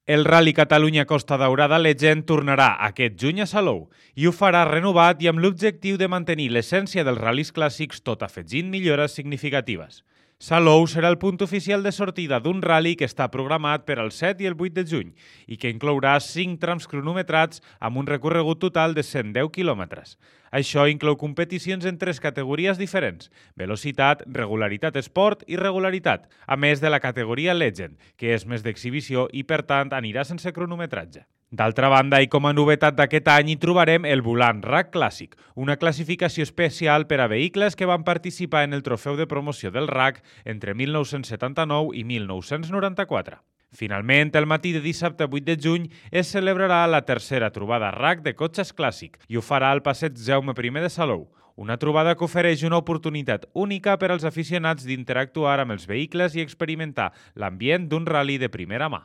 El Rally Catalunya Costa Daurada Legend tornarà aquest juny a Salou i ho farà renovat i amb l'objectiu de mantenir l'essència dels ral·lis clàssics tot afegint millores significatives. Salou serà el punt oficial de sortida d'un ral·li que està programat per al 7 i el 8 de juny i que inclourà 5 trams cronometrats amb un recorregut total de 110 quilòmetres. Això inclou competicions en 3 categories diferents: velocitat, regularitat esport i regularitat, a més de la categoria Legend, que és més d'exhibició i per tant anirà sense cronometratge. D'altra banda, i com a novetat d'aquest any, hi trobarem el Volant RAC Clàssic, una classificació especial per a vehicles que van participar en el trofeu de promoció del RAC entre 1979 i 1994. Finalment, el matí de dissabte 8 de juny es celebrarà la tercera trobada RAC de cotxes clàssic i ho farà al passeig Jaume I de Salou, una trobada que ofereix una oportunitat única per als aficionats d'interactuar amb els vehicles i experimentar l'ambient d'un ral·li de primera mà.